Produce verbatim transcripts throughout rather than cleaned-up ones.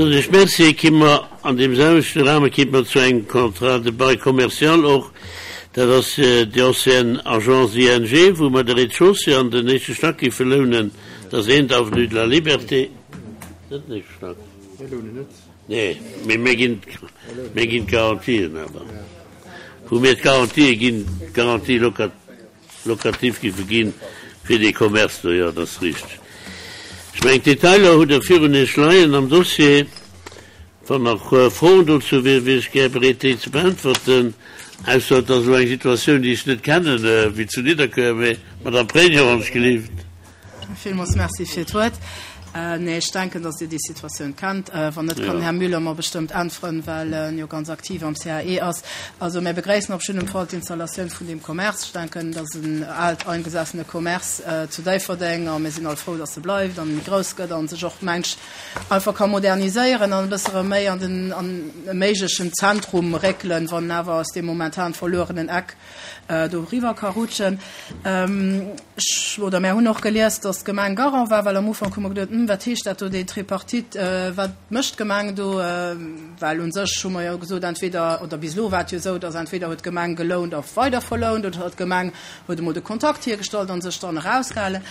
Soen ech Merci. Ki mer an deem selwechte Rahme kitt mer zu engem Contrat de bail commercial och. Dat ass déi ancienne Agence I N G, wou mer de Rez-de-chaussée an den éischte Stack géife lounen. Dat ass eent avenue de la Liberté. Net den éischte Stack. Nee, mee mir ginn, mir ginn d'Garantien awer. Wou mir d'Garantië ginn, d'Garantie locative géife ginn fir dee Commerce do, jo, dat ass richteg. Ech mengen, d'Detailer hutt Der virun Iech leien am Dossier. Wann nach Froen dozou wier, wier ech gär bereet, déi ze beäntwerten. Ausser et ass elo eng Situatioun, déi ech net kennen, wéi zu Nidderkuer. Mee Madame Pregno, wann ech gelift. Villmools Merci fir d'Wuert. Nee, ech denken, dass Dir déi Situatioun kennt. Wann net, kann den Här Müller mer bestëmmt äntweren, well en jo ganz aktiv am C A E ass. Also mir begréissen op jiddem Fall d'Installatioun vun deem Commerce. Ech denken, dat ass en aalt eingesessene Commerce zu Déifferdeng a mir sinn all frou, dass e bleift an méi grouss gëtt an sech och mensch einfach ka moderniséieren an e bësse rëm méi an den an e méiglechen Zentrum réckelen, wann awer aus deem momentan verluerenen Eck do riwwer ka rutschen. Ech, oder mär hunn och gelies, dass d'Gemeng Garant war, well am Ufank hu mer geduet, Hm, wat heescht dat do, déi Tripartite, wat mécht d'Gemeng do? Well u sech hu mer jo gesot, entweder, oder bis elo war et jo esou, dass entweder huet d'Gemeng gelount a weider verlount oder d'Gemeng huet emol de Kontakt hiergestallt a sech dann erausgehalen.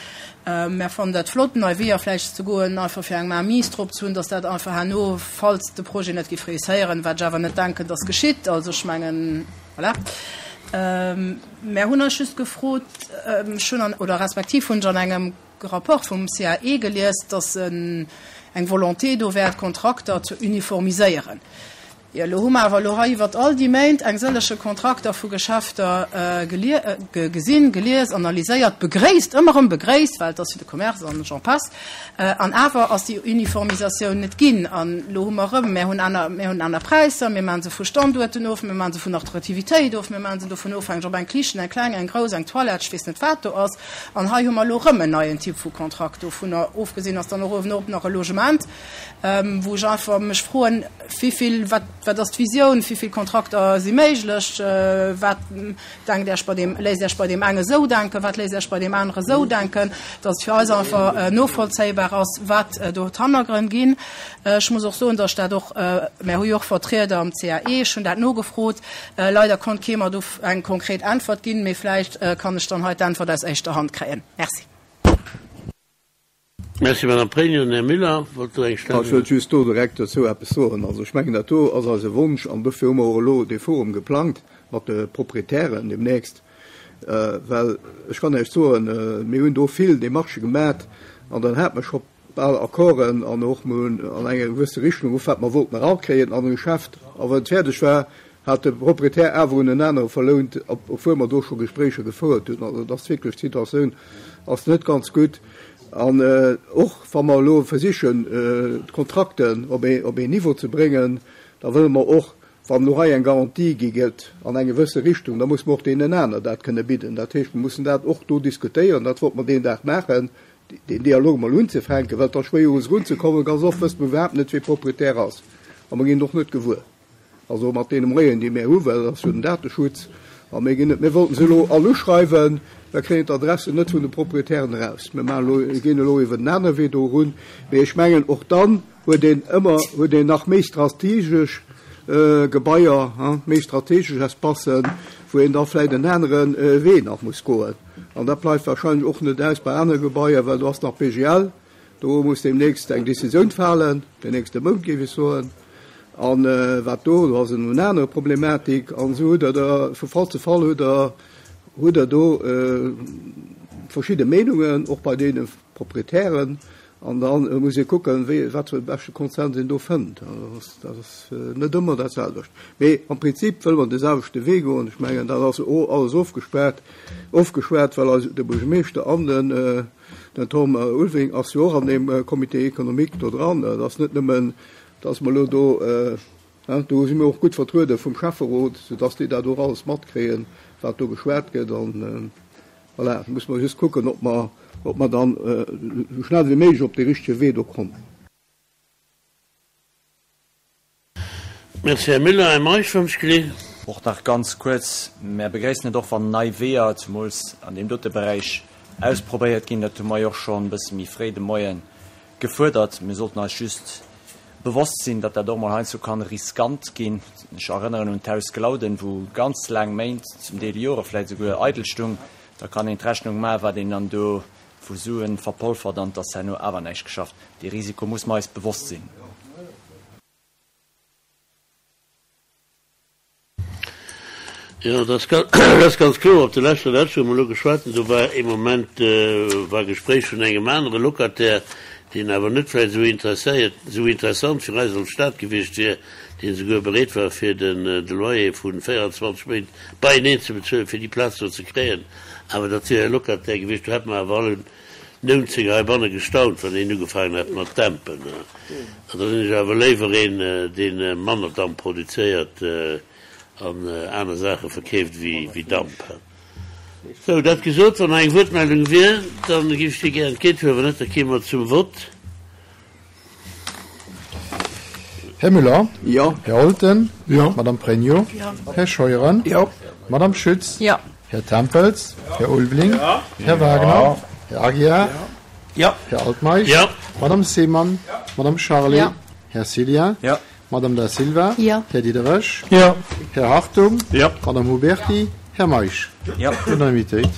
Mär fannen dat flott, nei Weeër vläicht ze goen, einfach fir eng Mainmise drop ze hunn, dass dat einfach herno, falls de Projet net géif réusséieren, wat ech awer net denken, dass geschitt, also ech mengen, voilà. Mär hunn eis just gefrot, ech hunn an, oder respektiv hunn ech an engem Rapport vum C A E gelies, dass eng Volonté do wär, d'Kontrakter ze uniformiséieren. Jo, elo hu mer awer elo hei iwwert all déi Méint eng sëllege Kontrakter vu Geschäfter gesinn, gelies, analyséiert, begréisst, ëmmer erëm begréisst, well et ass fir de Commerce an j'en passe, an awer ass déi Uniformisatioun net ginn. An elo hu mer erëm, mir hunn aner, mir hunn aner Präisser, mir maache se vu Standuerten of, mir maache se vun Attraktivitéit of, mir maache se dovun ofhängeg, ob eng Kichen, eng kleng, eng grouss, eng Toilette, ech weess net wat do ass. An hei hu mer elo erëm en neien Typ vu Kontrakt. Dovunner ofgesinn ass dann och uewenop nach e Logement, wou ech einfach mech froen, wéi vill, wat, wat ass d'Visioun, wéi vill Kontrakter si méiglech, wat denkt Iech bei deem, léisst Iech bei deem enge sou denken, wat léisst Iech bei deem anere sou denken, dass et fir eis einfach novollzéibar ass, wat do d'Hannergrënn ginn. Ech muss och soen, dass ech dat och, mär hu jo och Vertrieder am C A E, ech hunn dat nogefrot, leider konnt kee mer do eng konkret Äntwert ginn, mee vläicht kann ech dann hei d'Äntwert aus éischter Hand kréien. Merci. Merci, Madame Pregno. Här Müller wollt do eng Ech wëllt just do direkt dozou eppes soen. Also ech mengen, dat do ass eise Wonsch an dofir hu mer och elo dee Forum geplangt mat de Proprietären demnächst, well ech kann Iech soen, mir hunn do vill Démarchë gemat an dann hat mer scho bal Accorden an och mir hunn an eng gewësse Richtung of wat mer wollten erakréien an e Geschäft. A wann et fäerdeg war, hat de Proprietär awer un en anere verlount, obwuel mer do scho Gespréicher gefouert hunn. Also dat ass wierklech, d'Situatioun ass net ganz gutt. An och wa mer elo versichen, d'Kontrakten op ee, op een Niveau ze bréngen, da wëlle mer och, wann elo hei eng Garantie gi gëtt an eng gewësse Richtung, da muss mer och deenen aner dat kënne bidden. Dat heescht, mer mussen dat och do diskutéieren. Dat wollte mer deen Dag maachen, deen Dialog mol unzefänken, well et ass schwéier u se erunzekommen. Ganz oft wësst mer iwwerhaapt net, wie Proprietär ass, a mer ginn et och net gewuer. Also mat deene Moyenen, déi mir hu, well dat ass jo den Dateschutz, a mir ginn net, mir wollten se elo all uschreiwen, mir kréien d'Adressen net vun de Proprietären eraus. Mir maachen elo, ginn elo iwwer den anere Wee do erun. Mee ech mengen, och dann huet een ëmmer, huet een nach méi strategesch Gebaier, méi strategesch Espacen, wou een da vläicht en anere Wee nach muss goen. An dat bleift wahrscheinlech och net aus bei anere Gebaier, well do ass nach B G L, do muss deemnächst eng Decisioun falen, den nächste Mount, géif ech soen. An wat do, do ass en anere Problematik. An esou hutt Der da vu Fall zu Fall hutt Der, hutt Der do verschidde Meenungen, och bei deene Proprietären. An da muss ee kucken, wéi, wat fir e beschte Konsens een do fënnt. Dat ass net ëmmer dat selwecht. Mee am Prinzip wëlle mer de selwechte Wee goen. Ech mengen, dat ass alles ofgespaart, ofgeschwat, well eis de Buergermeeschter an den, den Tom Ulving ass jo och an deem Comité économique do dran. Dat ass net nëmmen, dass mer elo do, do si mir och gutt vertruede vum Schäfferot, soudass déi dat och alles matkréien, wat do geschwat gëtt. An voilà, da muss mer just kucken, ob mer, ob mer dann esou schnell wéi méiglech op dee richtege Wee do kommen. Merci, Här Müller. Här Meisch, wann ech geleeën. Och nach ganz kuerz, Mär begréissen et och, wann nei Weeër, zemools an deem dote Beräich, ausprobéiert ginn. Dat hu mer jo och schonn e bësse méi fréi de Moie gefuerdert. Mir sollten eis just bewosst sinn, datt dat och mol heiansdo kann riskant ginn. Ech erënneren un d'Haus Glauden, wou ganz laang Méint, zum Deel Jore vläicht esouguer, eidel stung. Da kann een d'Rechnung maachen, wat een dann do vu Suen verpolfert an et ass herno awer näischt geschafft. Dee Risiko muss mer eis bewosst sinn. Jo, dat ass ganz kloer. Op de leschter Letsch, wou mer elo geschwat hunn, do war ee Moment, war Gespréich vun engem anere Locataire, deen awer net vläicht esou interesséiert, esou interessant fir eis als Stad gewiescht wier, deen esouguer bereet war, fir den de Loyer vu véierundzwanzeg Méint beieneen ze bezuelen, fir déi Plaz do ze kréien. Awer dat wier e Locataire gewiescht, do hätte mer awer allen neunzéng heibanne gestaunt, wann een ugefaangen hätt mat dämpen. An da sinn ech awer léiwer een, dee manner Damp produzéiert an aner Saache verkeeft wéi Damp. Sou, dat gesot, wann nach eng Wuertmeldung wier, da géif ech déi gär entgéinthuelen. Wann net, da kéime mer zum Vott. Här Müller? Jo. Här Olten? Jo. Madame Pregno? Jo. Här Scheuren? Jo. Madame Schütz? Jo. Här Tempels? Här Ulveling? Jo. Här Wagner? Här Aguiar? Jo. Här Altmeisch? Jo. Madame Seemann? Madame Charlé? Jo. Här Cillien? Jo. Madame Da Silva? Jo. Här Diderich? Jo. Här Hartung? Jo. Madame Huberti? Här Meisch? Jo. Unanimitéit.